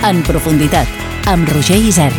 En profunditat, amb Roger Isern.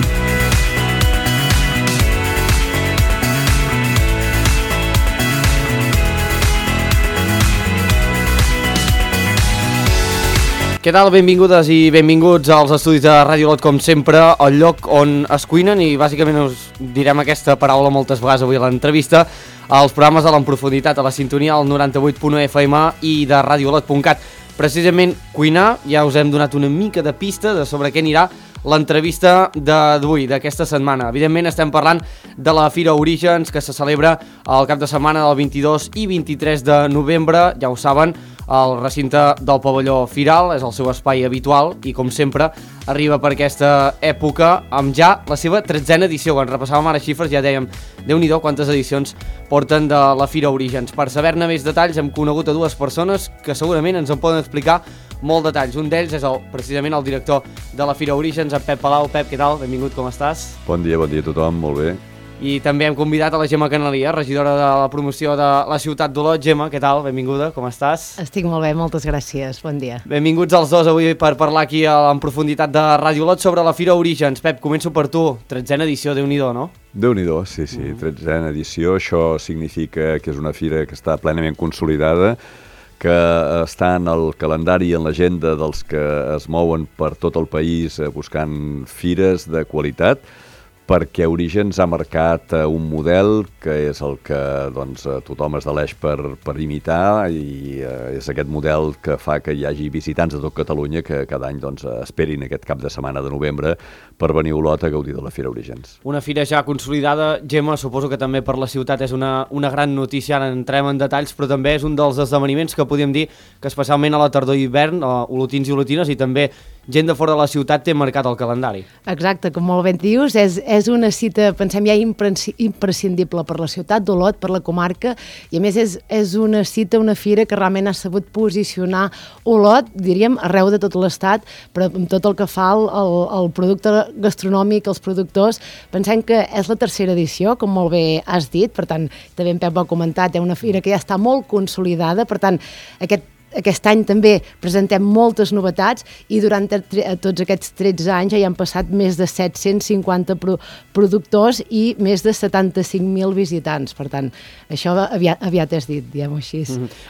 Què tal? Benvingudes i benvinguts als estudis de Ràdio Lot, com sempre, el lloc on es cuinen, i bàsicament us direm aquesta paraula moltes vegades avui a l'entrevista, als programes de l'En Profunditat, a la sintonia al 98.1 FM i de radiolot.cat. Precisament cuinar, ja us hem donat una mica de pista de sobre què anirà l'entrevista d'avui, d'aquesta setmana. Evidentment estem parlant de la Fira Orígens, que se celebra el cap de setmana del 22 i 23 de novembre, ja ho saben, el recinte del pavelló Firal és el seu espai habitual i, com sempre, arriba per aquesta època amb ja la seva 13a edició. Quan repassàvem ara xifres ja dèiem, Déu-n'hi-do quantes edicions porten de la Fira Orígens. Per saber-ne més detalls hem conegut a dues persones que segurament ens en poden explicar molt detalls. Un d'ells és precisament el director de la Fira Orígens, en Pep Palau. Pep, què tal? Benvingut, com estàs? Bon dia a tothom, molt bé. I també hem convidat a la Gemma Canalia, regidora de la promoció de la ciutat d'Olot. Gemma, què tal? Benvinguda, com estàs? Estic molt bé, moltes gràcies, bon dia. Benvinguts els dos avui per parlar aquí en profunditat de Ràdio Olot sobre la Fira Orígens. Pep, començo per tu, 13a edició, Déu-n'hi-do, no? Déu-n'hi-do, sí, 13a edició, això significa que és una fira que està plenament consolidada, que està en el calendari i en l'agenda dels que es mouen per tot el país buscant fires de qualitat, perquè Orígens ha marcat un model que és el que tothom es deleix per imitar, i és aquest model que fa que hi hagi visitants de tot Catalunya que cada any esperin aquest cap de setmana de novembre per venir a Olot a gaudir de la Fira Orígens. Una fira ja consolidada, Gemma, suposo que també per la ciutat és una gran notícia, ara entrem en detalls, però també és un dels esdeveniments que podríem dir que especialment a la tardor i hivern, olotins i olotines i també gent de fora de la ciutat té marcat el calendari. Exacte, com molt ben dius, és una cita, pensem ja, imprescindible per la ciutat d'Olot, per la comarca, i a més és una cita, una fira que realment ha sabut posicionar Olot, diríem, arreu de tot l'estat, però amb tot el que fa el producte gastronòmic, els productors. Pensem que és la tercera edició, com molt bé has dit, per tant, també en Pep ho ha comentat, una fira que ja està molt consolidada, per tant, aquest any també presentem moltes novetats i durant tots aquests 13 anys ja hi han passat més de 750 productors i més de 75.000 visitants. Per tant, això aviat és dit, diguem-ho així.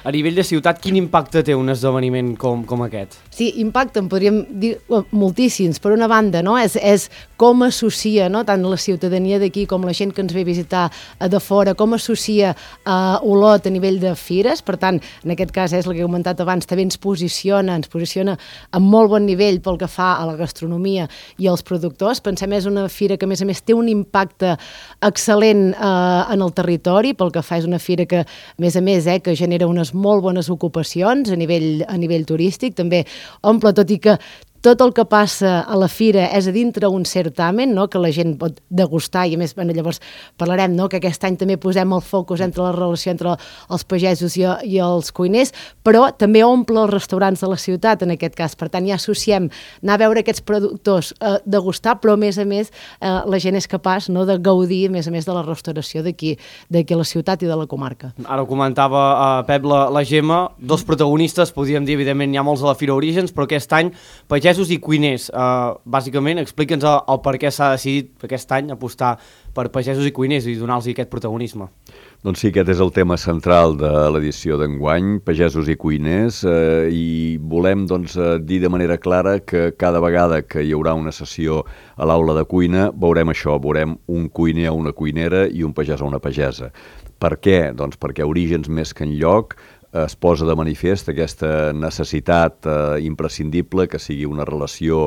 A nivell de ciutat, quin impacte té un esdeveniment com aquest? Sí, impacte, en podríem dir moltíssims. Per una banda, no? És com associa, no? Tant la ciutadania d'aquí com la gent que ens ve a visitar de fora, com associa Olot a nivell de fires. Per tant, en aquest cas és el que he comentat abans, també ens posiciona a molt bon nivell pel que fa a la gastronomia i als productors. Pensem és una fira que a més té un impacte excel·lent en el territori, pel que fa és una fira que a més que genera unes molt bones ocupacions a nivell turístic, també omple, tot i que tot el que passa a la fira és a dintre un certamen, no?, que la gent pot degustar, i a més llavors parlarem, no?, que aquest any també posem el focus entre la relació entre els pagesos i els cuiners, però també omple els restaurants de la ciutat en aquest cas. Per tant, ja associem anar a veure aquests productors, degustar, però a més la gent és capaç, no?, de gaudir a més de la restauració d'aquí a la ciutat i de la comarca. Ara ho comentava Pep, la Gemma, dos protagonistes, podríem dir, evidentment hi ha molts a la Fira Orígens, però aquest any pagesos i cuiners. Bàsicament, explica'ns el per què s'ha decidit aquest any apostar per pagesos i cuiners i donar-los aquest protagonisme. Doncs sí, aquest és el tema central de l'edició d'enguany, pagesos i cuiners, i volem dir de manera clara que cada vegada que hi haurà una sessió a l'aula de cuina veurem això, veurem un cuiner o una cuinera i un pagès o una pagesa. Per què? Doncs perquè Orígens més que enlloc es posa de manifest aquesta necessitat imprescindible que sigui una relació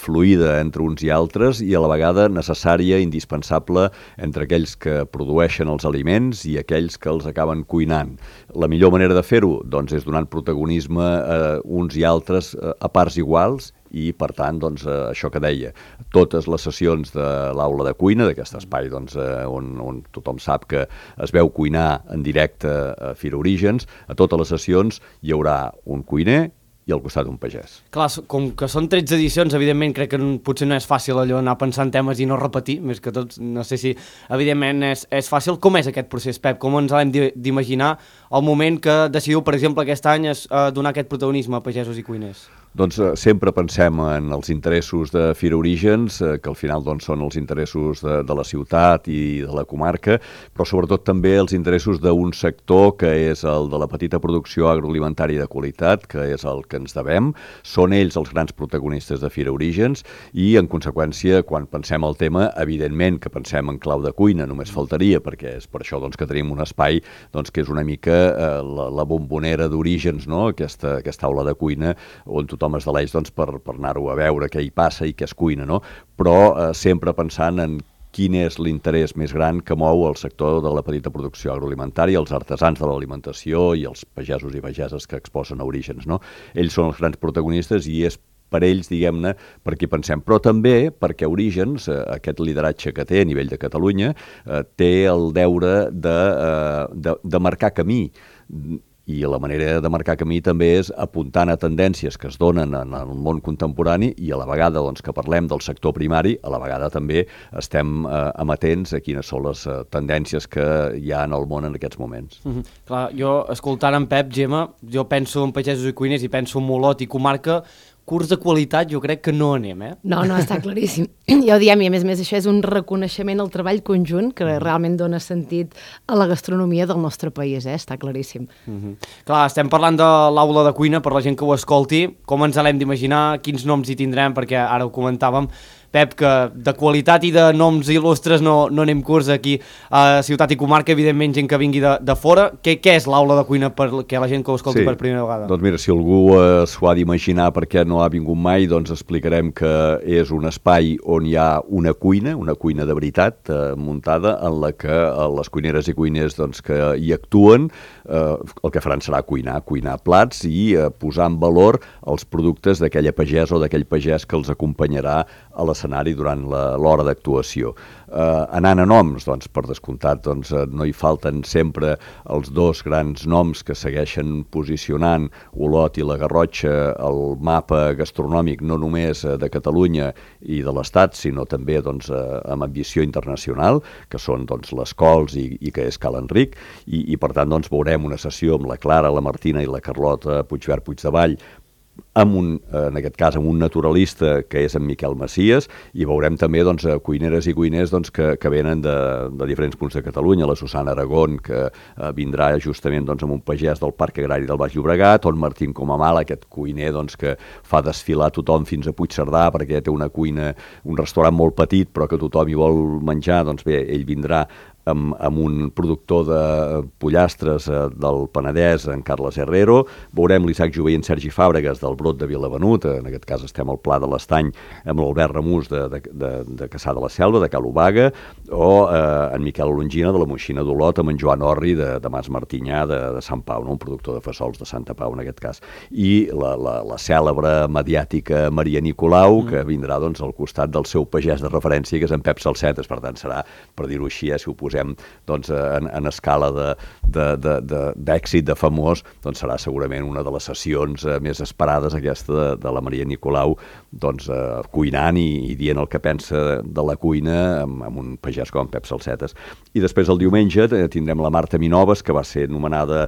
fluida entre uns i altres i a la vegada necessària, indispensable entre aquells que produeixen els aliments i aquells que els acaben cuinant. La millor manera de fer-ho és donant protagonisme a uns i altres a parts iguals i, per tant, això que deia, totes les sessions de l'aula de cuina, d'aquest espai on tothom sap que es veu cuinar en directe a Fira Orígens, a totes les sessions hi haurà un cuiner i al costat un pagès. Clar, com que són 13 edicions, evidentment crec que potser no és fàcil allò anar pensant temes i no repetir, més que tot, no sé si evidentment és fàcil. Com és aquest procés, Pep? Com ens l'hem d'imaginar el moment que decidiu, per exemple, aquest any donar aquest protagonisme a pagesos i cuiners? Doncs sempre pensem en els interessos de Fira Orígens, que al final doncs, són els interessos de la ciutat i de la comarca, però sobretot també els interessos d'un sector que és el de la petita producció agroalimentària de qualitat, que és el que ens devem. Són ells els grans protagonistes de Fira Orígens i, en conseqüència, quan pensem el tema, evidentment que pensem en clau de cuina, només faltaria, perquè és per això doncs, que tenim un espai doncs, que és una mica la bombonera d'Orígens, no? Aquesta aula de cuina on tothom es deleix doncs, per anar-ho a veure què hi passa i què es cuina, no? Però sempre pensant en quin és l'interès més gran que mou el sector de la petita producció agroalimentària, els artesans de l'alimentació i els pagesos i pageses que exposen a Orígens, no? Ells són els grans protagonistes i és per ells, diguem-ne, per qui pensem, però també perquè Orígens, aquest lideratge que té a nivell de Catalunya, té el deure de marcar camí. I la manera de marcar camí també és apuntant a tendències que es donen en el món contemporani i a la vegada doncs, que parlem del sector primari, a la vegada també estem amatents a quines són les tendències que hi ha en el món en aquests moments. Clar, jo, escoltant en Pep, Gemma, jo penso en pagesos i cuiners i penso en Olot i comarca, curs de qualitat jo crec que no anem, No, està claríssim. Ja ho diem, i a més això és un reconeixement al treball conjunt que realment dona sentit a la gastronomia del nostre país, està claríssim. Clar, estem parlant de l'aula de cuina, per la gent que ho escolti, com ens l'hem d'imaginar, quins noms hi tindrem, perquè ara ho comentàvem, Pep, que de qualitat i de noms il·lustres no anem curts aquí a Ciutat i Comarca, evidentment gent que vingui de fora. Què és l'aula de cuina perquè la gent que ho escolti per primera vegada? Doncs mira, si algú s'ho ha d'imaginar perquè no ha vingut mai, doncs explicarem que és un espai on hi ha una cuina de veritat muntada, en la que les cuineres i cuiners doncs, que hi actuen el que faran serà cuinar plats i posar en valor els productes d'aquella pagesa o d'aquell pagès que els acompanyarà a l'escenari durant l'hora d'actuació. Anant a noms, doncs, per descomptat, doncs, no hi falten sempre els dos grans noms que segueixen posicionant Olot i la Garrotxa al mapa gastronòmic no només de Catalunya i de l'Estat, sinó també doncs, amb ambició internacional, que són doncs, les Cols i que és Cal Enric, i per tant doncs, veurem una sessió amb la Clara, la Martina i la Carlota Puigverd-Puigdevall, en aquest cas amb un naturalista que és en Miquel Macias, i veurem també doncs, cuineres i cuiners doncs, que venen de diferents punts de Catalunya, la Susana Aragón, que vindrà justament doncs, amb un pagès del Parc Agrari del Baix Llobregat, on Martín Comamal, aquest cuiner doncs, que fa desfilar tothom fins a Puigcerdà perquè té una cuina, un restaurant molt petit però que tothom hi vol menjar, doncs bé, ell vindrà amb un productor de pollastres del Penedès, en Carles Herrero. Veurem l'Isaac Jové i en Sergi Fàbregas del Brot de Vilavenut, en aquest cas estem al Pla de l'Estany amb l'Albert Ramús de Caçà de la Selva, de Cal Obaga, o en Miquel Longina de la Moixina d'Olot, amb en Joan Orri de Mas Martinyà de Sant Pau, no? Un productor de fesols de Santa Pau en aquest cas. I la cèlebre mediàtica Maria Nicolau, que vindrà doncs, al costat del seu pagès de referència, que és en Pep Salsetes, per tant serà, per dir-ho així, si ho posem doncs, en escala d'èxit, de famós, doncs serà segurament una de les sessions més esperades aquesta de la Maria Nicolau, doncs cuinant i dient el que pensa de la cuina amb un pagès com Pep Salsetes. I després el diumenge tindrem la Marta Minoves, que va ser nomenada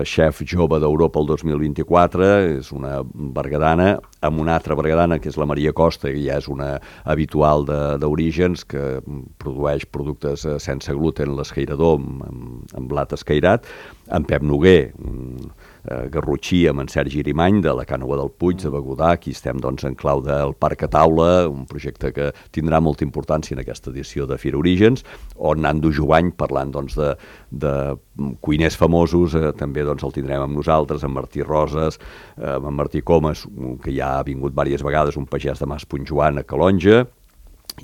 xef jove d'Europa el 2024, és una berguedana, amb una altra berguedana que és la Maria Costa, que ja és una habitual d'Orígens, que produeix productes sense gluten, l'escairador amb blat escairat, en Pep Noguer, garrotxí amb en Sergi Irimany de la Cànova del Puig, de Begudà. Aquí estem doncs, en clau del Parc a Taula, un projecte que tindrà molta importància en aquesta edició de Fira Orígens, on Nando Jovany, parlant doncs, de cuiners famosos, també doncs, el tindrem amb nosaltres, amb Martí Roses, amb Martí Comas, que ja ha vingut diverses vegades, un pagès de Mas Puntjoan a Calonja,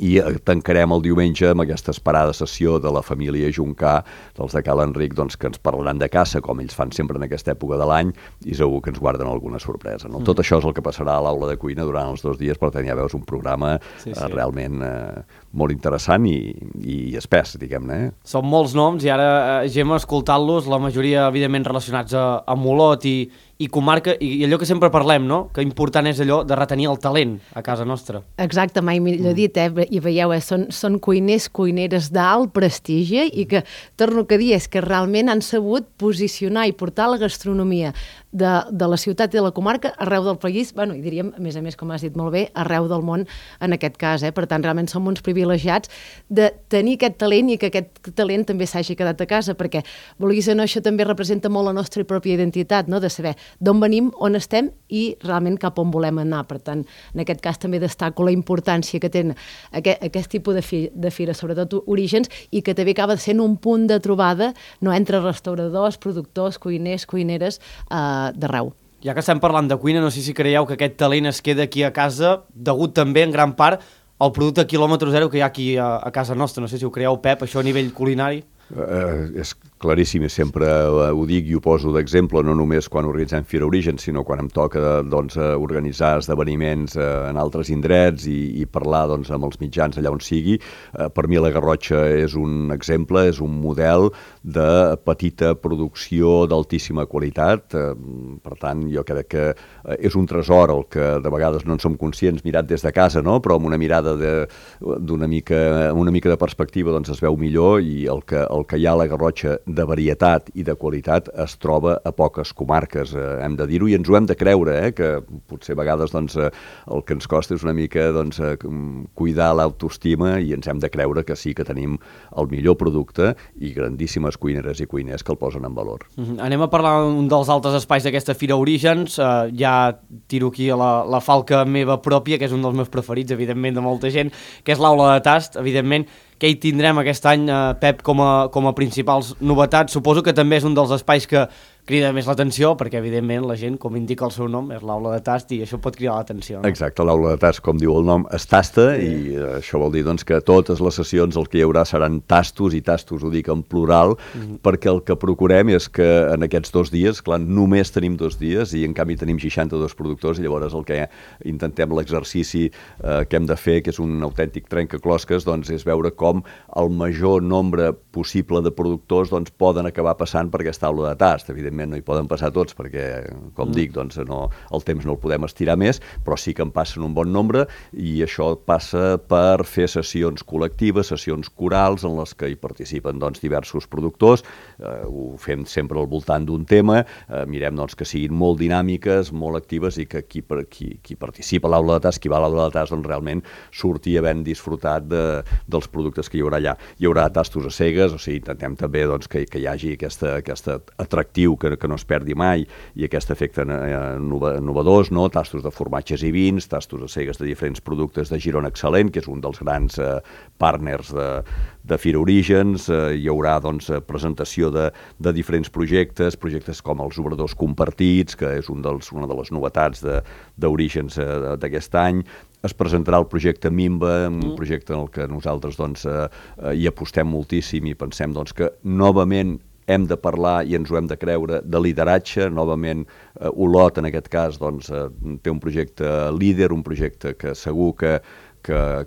i tancarem el diumenge amb aquesta esperada sessió de la família Juncà, dels de Cal Enric, doncs, que ens parlaran de caça, com ells fan sempre en aquesta època de l'any, i segur que ens guarden alguna sorpresa. No? Tot això és el que passarà a l'aula de cuina durant els 2 dies, per tant ja veus un programa realment molt interessant i espès, diguem-ne. Són molts noms i ara, Gemma, escoltant-los, la majoria evidentment relacionats amb Olot i comarca, i allò que sempre parlem, no? Que important és allò de retenir el talent a casa nostra. Exacte, mai millor dit, i veieu, són cuiners, cuineres d'alt prestigi i que, torno a dir, és que realment han sabut posicionar i portar la gastronomia de la ciutat i de la comarca, arreu del país, bueno, i diríem, a més, com has dit molt bé, arreu del món en aquest cas. Per tant, realment som uns privilegiats de tenir aquest talent i que aquest talent també s'hagi quedat a casa, perquè, vulguis o no, això també representa molt la nostra pròpia identitat, no? De saber d'on venim, on estem i realment cap on volem anar. Per tant, en aquest cas també destaco la importància que té aquest tipus de fira, sobretot Orígens, i que també acaba sent un punt de trobada, no, entre restauradors, productors, cuiners, cuineres d'arreu. Ja que estem parlant de cuina, no sé si creieu que aquest talent es queda aquí a casa, degut també en gran part al producte quilòmetre zero que hi ha aquí a casa nostra. No sé si ho creieu, Pep, això a nivell culinari. És claríssim i sempre ho dic i ho poso d'exemple, no només quan organitzem Fira Origen, sinó quan em toca organitzar esdeveniments en altres indrets i parlar amb els mitjans allà on sigui. Per mi la Garrotxa és un exemple, és un model de petita producció d'altíssima qualitat. Per tant, jo crec que és un tresor el que de vegades no en som conscients mirat des de casa, no? Però amb una mirada d'una mica de perspectiva es veu millor, i el que hi ha a la Garrotxa de varietat i de qualitat es troba a poques comarques, hem de dir-ho, i ens ho hem de creure, que potser a vegades el que ens costa és una mica cuidar l'autoestima, i ens hem de creure que sí que tenim el millor producte i grandíssimes cuineres i cuiners que el posen en valor. Anem a parlar d'un dels altres espais d'aquesta Fira Orígens. Ja tiro aquí la falca meva pròpia, que és un dels meus preferits, evidentment, de molta gent, que és l'aula de tast. Evidentment, què hi tindrem aquest any, Pep, com a principals novetats? Suposo que també és un dels espais que crida més l'atenció, perquè evidentment la gent, com indica el seu nom, és l'aula de tast i això pot cridar l'atenció. No? Exacte, l'aula de tast, com diu el nom, es tasta, i això vol dir que totes les sessions el que hi haurà seran tastos, i tastos ho dic en plural, perquè el que procurem és que en aquests 2 dies, clar, només tenim 2 dies i en canvi tenim 62 productors, i llavors el que intentem, l'exercici que hem de fer, que és un autèntic trencaclosques, és veure com el major nombre possible de productors poden acabar passant per aquesta aula de tast. Evidentment no hi poden passar tots perquè, com dic, el temps no el podem estirar més, però sí que en passen un bon nombre, i això passa per fer sessions col·lectives, sessions corals, en les que hi participen diversos productors. Ho fem sempre al voltant d'un tema, mirem que siguin molt dinàmiques, molt actives, i que qui participa a l'aula de tast, qui va a l'aula de tast, realment surti havent disfrutat dels productes que hi haurà allà. Hi haurà tastos a cegues, o sigui, intentem també que hi hagi aquest atractiu que no es perdi mai, i aquest efecte innovadors, no? Tastos de formatges i vins, tastos a cegues de diferents productes de Girona Excel·lent, que és un dels grans partners de Fira Orígens. Hi haurà presentació de diferents projectes com els obradors compartits, que és una de les novetats d'Orígens d'aquest any. Es presentarà el projecte Mimba, un projecte en el que nosaltres hi apostem moltíssim, i pensem que novament hem de parlar, i ens ho hem de creure, de lideratge. Novament Olot, en aquest cas, té un projecte líder, un projecte que segur que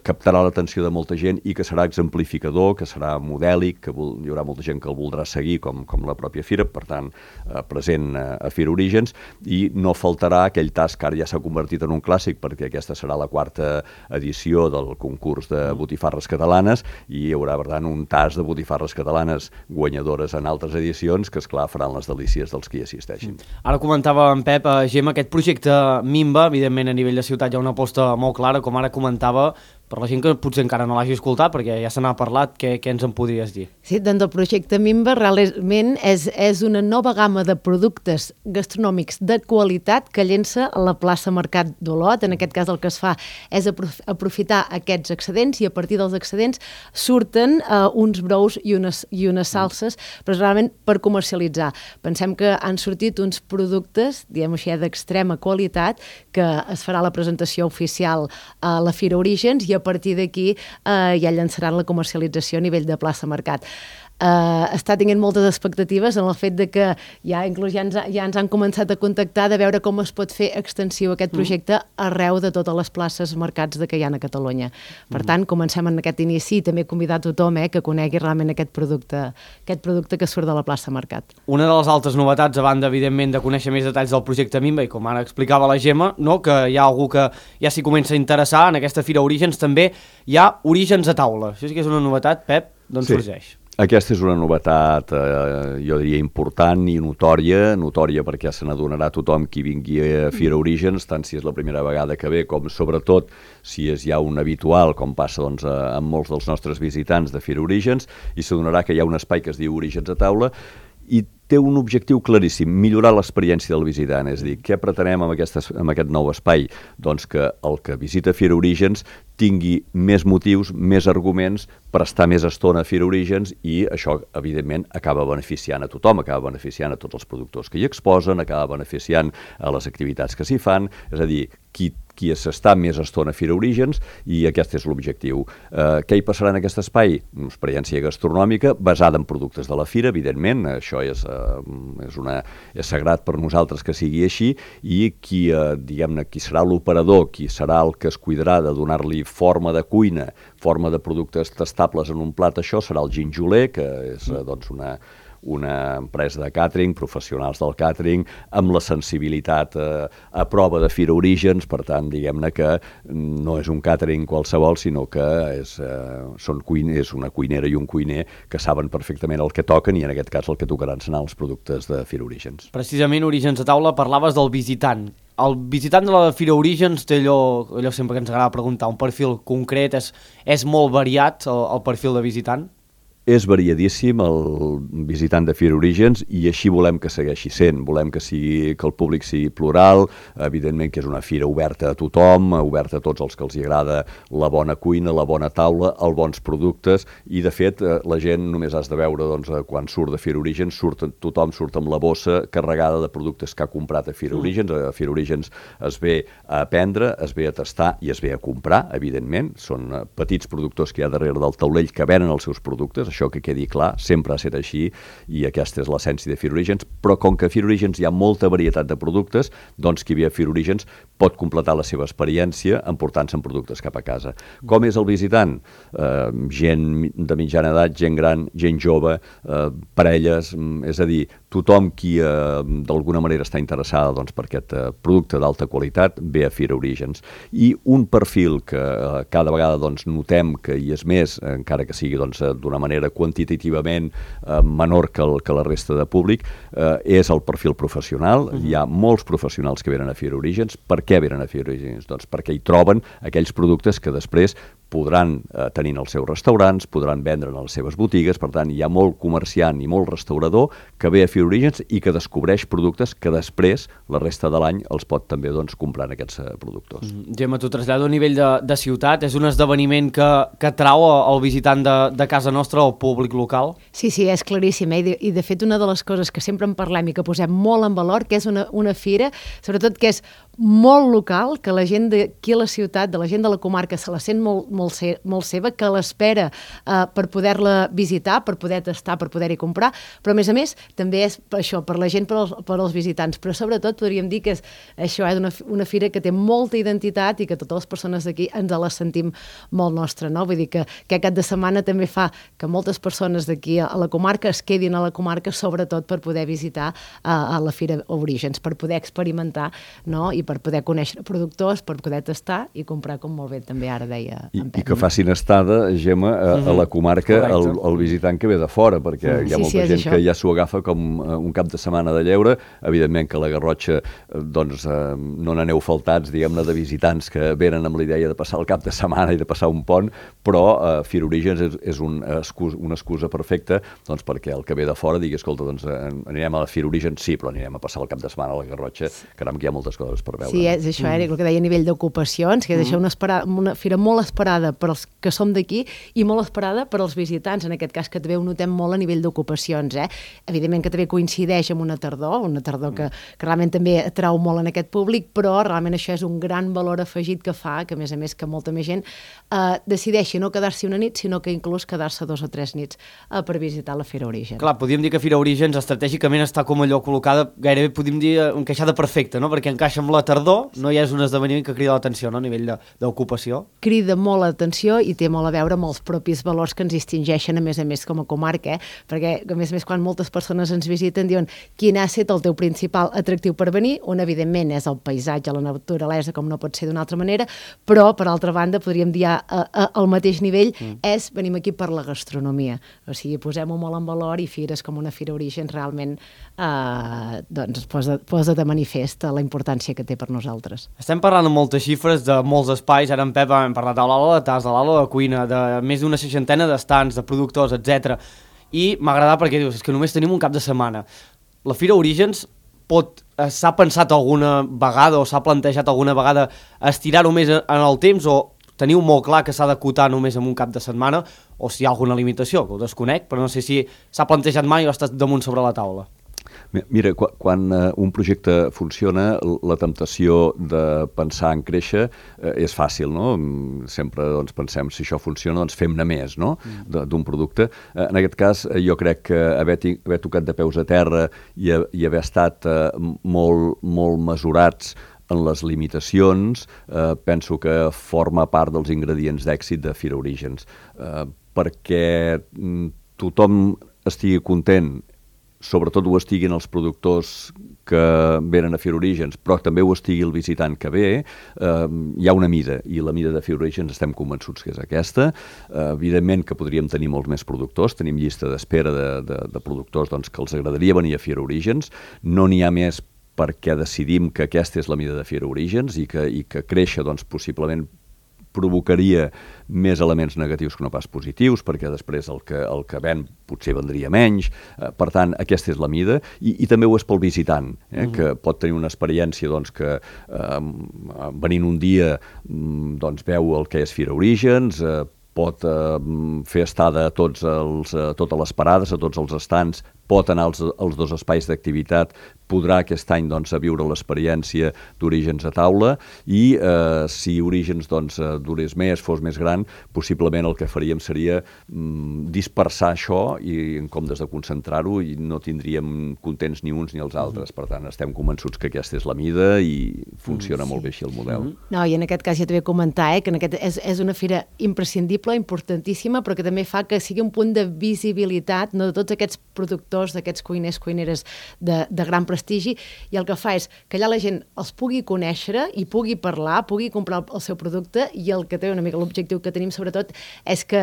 captarà l'atenció de molta gent i que serà exemplificador, que serà modèlic, que hi haurà molta gent que el voldrà seguir, com la pròpia Fira, per tant, present a Fira Orígens, i no faltarà aquell tast que ara ja s'ha convertit en un clàssic, perquè aquesta serà la 4ª edició del concurs de botifarres catalanes, i hi haurà, per tant, un tast de botifarres catalanes guanyadores en altres edicions, que, esclar, faran les delícies dels que hi assisteixin. Ara comentava en Pep, Gemma, aquest projecte Mimba, evidentment a nivell de ciutat hi ha una aposta molt clara, com ara comentava, per la gent que potser encara no l'hagi escoltat, perquè ja se n'ha parlat, què ens en podries dir? Sí, doncs el projecte Mimba realment és una nova gamma de productes gastronòmics de qualitat que llença a la plaça Mercat d'Olot. En aquest cas el que es fa és aprofitar aquests excedents, i a partir dels excedents surten uns brous i unes salses, però realment per comercialitzar. Pensem que han sortit uns productes, diguem-ho així, d'extrema qualitat, que es farà la presentació oficial a la Fira Orígens, i a partir d'aquí ja llançaran la comercialització a nivell de plaça Mercat. Està tenint moltes expectatives en el fet de que inclús ja ens han començat a contactar de veure com es pot fer extensiu aquest projecte arreu de totes les places mercats que hi ha a Catalunya. Per tant, comencem en aquest inici, i també convidar tothom que conegui realment aquest producte que surt de la plaça Mercat. Una de les altres novetats, a banda, evidentment, de conèixer més detalls del projecte Mimba, i com ara explicava la Gemma, no? Que hi ha algú que ja s'hi comença a interessar en aquesta Fira Orígens, també hi ha Orígens a taula. Això sí que és una novetat, Pep, d'on sorgeix? Aquesta és una novetat, jo diria, important i notòria perquè se n'adonarà tothom qui vingui a Fira Orígens, tant si és la primera vegada que ve com sobretot si és ja un habitual, com passa doncs, amb molts dels nostres visitants de Fira Orígens, i s'adonarà que hi ha un espai que es diu Orígens a taula i té un objectiu claríssim, millorar l'experiència del visitant, és a dir, què pretenem amb aquest nou espai? Doncs que el que visita Fira Orígens tingui més motius, més arguments per estar més estona a Fira Orígens i això, evidentment, acaba beneficiant a tothom, acaba beneficiant a tots els productors que hi exposen, acaba beneficiant a les activitats que s'hi fan, és a dir, qui s'està més estona a Fira Orígens i aquest és l'objectiu. Què hi passarà en aquest espai? Una experiència gastronòmica basada en productes de la Fira, evidentment, això és sagrat per nosaltres que sigui així i qui serà l'operador, qui serà el que es cuidarà de donar-li forma de cuina, forma de productes tastables en un plat, això serà el Ginjoler, que és doncs una empresa de càtering, professionals del càtering, amb la sensibilitat a prova de Fira Orígens, per tant, diguem-ne que no és un càtering qualsevol, sinó que és una cuinera i un cuiner que saben perfectament el que toquen i en aquest cas el que tocaran seran els productes de Fira Orígens. Precisament, Orígens a taula, parlaves del visitant. El visitant de la Fira Orígens té allò sempre que ens agrada preguntar, un perfil concret, és molt variat el perfil de visitant? És variadíssim el visitant de Fira Orígens i així volem que segueixi sent. Volem que el públic sigui plural, evidentment que és una fira oberta a tothom, oberta a tots els que els agrada la bona cuina, la bona taula, els bons productes i de fet la gent només has de veure doncs, quan surt de Fira Orígens, tothom surt amb la bossa carregada de productes que ha comprat a Fira Orígens. A Fira Orígens es ve a aprendre, es ve a tastar i es ve a comprar, evidentment. Són petits productors que hi ha darrere del taulell que venen els seus productes, això que quedi clar, sempre ha estat així i aquesta és l'essència de Fira Orígens, però com que a Fira Orígens hi ha molta varietat de productes, doncs qui ve a Fira Orígens pot completar la seva experiència emportant-se productes cap a casa. Com és el visitant? Gent de mitjana edat, gent gran, gent jove, parelles, és a dir, tothom qui d'alguna manera està interessada doncs, per aquest producte d'alta qualitat ve a Fira Orígens. I un perfil que cada vegada doncs, notem que hi és més, encara que sigui doncs, d'una manera quantitativament menor que la resta de públic, és el perfil professional. Hi ha molts professionals que venen a Fira Orígens. Per què venen a Fira Orígens? Doncs perquè hi troben aquells productes que després podran tenir en els seus restaurants, podran vendre en les seves botigues, per tant hi ha molt comerciant i molt restaurador que ve a Fira Orígens i que descobreix productes que després, la resta de l'any, els pot també doncs, comprar en aquests productors. Gemma, t'ho trasllado a nivell de ciutat, és un esdeveniment que atrau el visitant de casa nostra, el públic local? Sí, és claríssim, i de fet una de les coses que sempre en parlem i que posem molt en valor, que és una fira, sobretot que és molt local, que la gent d'aquí a la ciutat, de la gent de la comarca, se la sent molt seva, que l'espera per poder-la visitar, per poder tastar, per poder-hi comprar, però a més també és per això, per la gent, per als visitants, però sobretot podríem dir que és això, una fira que té molta identitat i que totes les persones d'aquí ens la sentim molt nostra, no? Vull dir que aquest cap de setmana també fa que moltes persones d'aquí a la comarca es quedin a la comarca, sobretot per poder visitar a la Fira Orígens, per poder experimentar, no? I per poder conèixer productors, per poder tastar i comprar, com molt bé també ara deia en Pep. I que facin estada, Gemma, a la comarca el visitant que ve de fora, perquè hi ha molta gent que ja s'ho agafa com un cap de setmana de lleure. Evidentment que a la Garrotxa doncs, no n'aneu faltats, diguem-ne, de visitants que venen amb la idea de passar el cap de setmana i de passar un pont, però Fira Orígens és una excusa perfecta doncs, perquè el que ve de fora digui, escolta, doncs, anirem a la Fira Orígens, sí, però anirem a passar el cap de setmana a la Garrotxa, caram, que hi ha moltes coses per veure. Sí, és això, el que deia a nivell d'ocupacions, que és això, una fira molt esperada per als que som d'aquí i molt esperada per als visitants, en aquest cas que també ho notem molt a nivell d'ocupacions. Evidentment que també coincideix amb una tardor que realment també atrau molt en aquest públic, però realment això és un gran valor afegit que fa, que a més que molta més gent decideixi no quedar-s'hi una nit, sinó que inclús quedar-se 2 o 3 nits per visitar la Fira Orígens. Clar, podríem dir que Fira Orígens estratègicament està com allò col·locada, gairebé podríem dir encaixada perfecta, no? Perquè encaixa amb la tardor no hi és un esdeveniment que crida l'atenció, no?, a nivell d'ocupació. Crida molt l'atenció i té molt a veure amb els propis valors que ens distingeixen, a més com a comarca, perquè a més quan moltes persones ens visiten diuen quin ha estat el teu principal atractiu per venir, on evidentment és el paisatge, la naturalesa, com no pot ser d'una altra manera, però per altra banda podríem dir al mateix nivell és venim aquí per la gastronomia, o sigui, posem-ho molt en valor i fires com una Fira Orígens realment doncs posa de manifest la importància que té per nosaltres. Estem parlant de moltes xifres, de molts espais, ara en Pep hem parlat de l'Aula de Tas, de l'Aula de Cuina, de més d'una 60 d'estants, de productors, etc. I m'ha agradat perquè dius, és que només tenim un cap de setmana. La Fira Orígens s'ha pensat alguna vegada o s'ha plantejat alguna vegada estirar-ho més en el temps o teniu molt clar que s'ha d'acotar només en un cap de setmana o si hi ha alguna limitació, que ho desconec, però no sé si s'ha plantejat mai o ha estat damunt sobre la taula. Mira, quan un projecte funciona, la temptació de pensar en créixer és fàcil, no? Sempre doncs, pensem, si això funciona, doncs fem-ne més, no?, d'un producte. En aquest cas, jo crec que haver tocat de peus a terra i haver estat molt mesurats en les limitacions, penso que forma part dels ingredients d'èxit de Fira Orígens. Perquè tothom estigui content, sobretot ho estiguin els productors que venen a Fira Orígens, però també ho estigui el visitant que ve, hi ha una mida, i la mida de Fira Orígens estem convençuts que és aquesta. Evidentment que podríem tenir molts més productors, tenim llista d'espera de productors doncs, que els agradaria venir a Fira Orígens, no n'hi ha més perquè decidim que aquesta és la mida de Fira Orígens i que créixer doncs, possiblement provocaria més elements negatius que no pas positius, perquè després el que ven potser vendria menys. Per tant, aquesta és la mida, i també ho és pel visitant, que pot tenir una experiència doncs, que venint un dia doncs, veu el que és Fira Orígens, pot fer estada a totes les parades, a tots els estants, pot anar als dos espais d'activitat, podrà aquest any doncs, a viure l'experiència d'Orígens a taula i si Orígens doncs, durés més, fos més gran, possiblement el que faríem seria dispersar això i en comptes de concentrar-ho i no tindríem contents ni uns ni els altres. Per tant, estem convençuts que aquesta és la mida i funciona molt bé així el model. No, i en aquest cas ja t'he de comentar que és una fira imprescindible, importantíssima, però que també fa que sigui un punt de visibilitat de tots aquests productors, d'aquests cuiners, cuineres de gran prestigi, i el que fa és que allà la gent els pugui conèixer i pugui parlar, pugui comprar el seu producte, i el que té una mica l'objectiu que tenim sobretot és que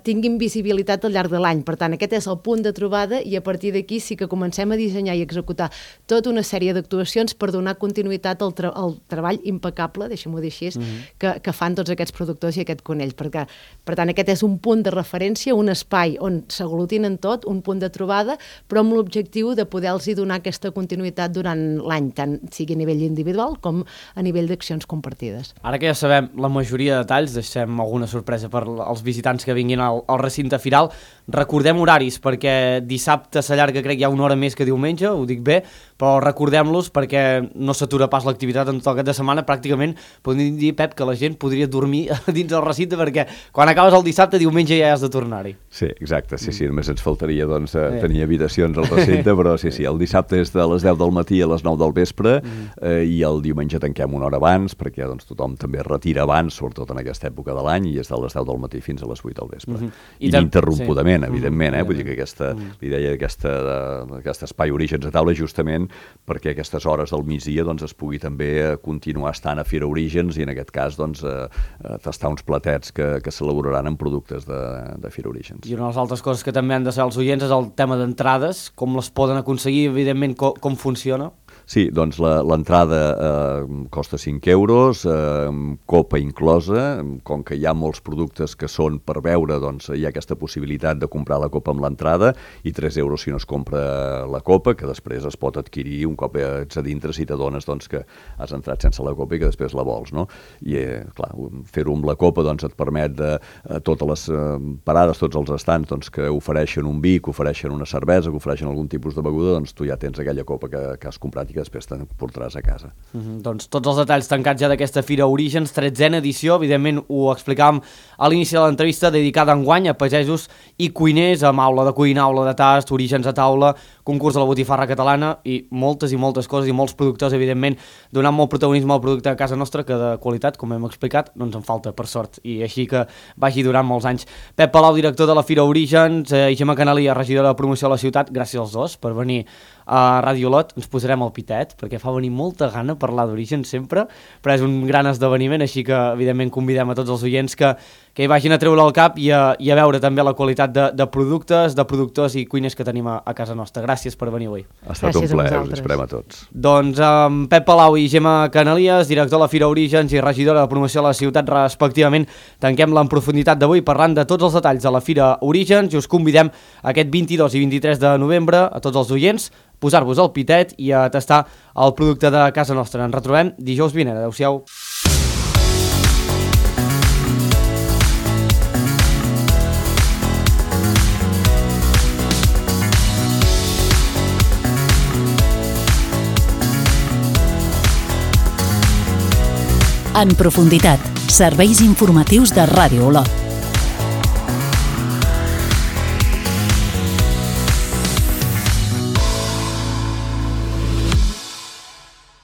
tinguin visibilitat al llarg de l'any. Per tant, aquest és el punt de trobada i a partir d'aquí sí que comencem a dissenyar i executar tota una sèrie d'actuacions per donar continuïtat al treball impecable, deixem-ho dir així, que fan tots aquests productors i aquest conell. Per tant, aquest és un punt de referència, un espai on s'aglutinen tot, un punt de trobada, però amb l'objectiu de poder-los donar aquesta continuïtat durant l'any, tant sigui a nivell individual com a nivell d'accions compartides. Ara que ja sabem la majoria de detalls, deixem alguna sorpresa per als visitants que vinguin al recinte firal, recordem horaris, perquè dissabte s'allarga, crec, ja una hora més que diumenge, ho dic bé, però recordem-los perquè no s'atura pas l'activitat en tot el cap de setmana. Pràcticament podem dir, Pep, que la gent podria dormir dins del recinte perquè quan acabes el dissabte, diumenge ja has de tornar-hi. Sí, exacte, sí, només ens faltaria doncs, tenir habitacions al recinte, però sí, el dissabte és de les 10 del matí a les 9 del vespre i el diumenge tanquem una hora abans perquè doncs, tothom també es retira abans, sobretot en aquesta època de l'any, i és de les 10 del matí fins a les 8 del vespre. Ininterrompudament, evidentment, vull dir que l'idea d'aquest espai Orígens a taula justament perquè a aquestes hores del migdia doncs, es pugui també continuar estant a Fira Orígens i en aquest cas doncs, tastar uns platets que s'elaboraran amb productes de Fira Orígens. I una de les altres coses que també han de saber els oients és el tema d'entrades, com les poden aconseguir, evidentment com funciona. Sí, doncs l'entrada costa 5 euros, copa inclosa, com que hi ha molts productes que són per beure, doncs hi ha aquesta possibilitat de comprar la copa amb l'entrada i 3 euros si no es compra la copa, que després es pot adquirir un cop ets a dintre si t'adones doncs, que has entrat sense la copa i que després la vols, no? I clar, fer-ho amb la copa doncs, et permet totes les parades, tots els estants doncs, que ofereixen un vi, que ofereixen una cervesa, que ofereixen algun tipus de beguda, doncs tu ja tens aquella copa que has comprat i que després te'n portaràs a casa. Doncs tots els detalls tancats ja d'aquesta Fira Orígens, 13a edició, evidentment ho explicàvem a l'inici de l'entrevista, dedicada enguany a pagesos i cuiners, amb aula de cuina, aula de tast, orígens a taula, concurs de la botifarra catalana i moltes coses i molts productors, evidentment, donant molt protagonisme al producte a casa nostra, que de qualitat, com hem explicat, no ens en falta, per sort, i així que vagi durant molts anys. Pep Palau, director de la Fira Orígens, i Gemma Canalia, regidora de promoció de la ciutat, gràcies als dos per venir a Ràdio Olot. Ens posarem al pitet, perquè fa venir molta gana parlar d'Orígens sempre, però és un gran esdeveniment, així que evidentment convidem a tots els oients que hi vagin a treure el cap i a veure també la qualitat de productes, de productors i cuiners que tenim a casa nostra. Gràcies per venir avui. Ha estat un plaer, us esperem a tots. Doncs amb Pep Palau i Gemma Canalies, director de la Fira Orígens i regidora de promoció de la ciutat, respectivament, tanquem l'en profunditat d'avui parlant de tots els detalls de la Fira Orígens i us convidem aquest 22 i 23 de novembre a tots els oients posar-vos al pitet i a tastar el producte de casa nostra. Ens retrobem dijous vinent. Adéu-siau. En profunditat, serveis informatius de Ràdio Olot.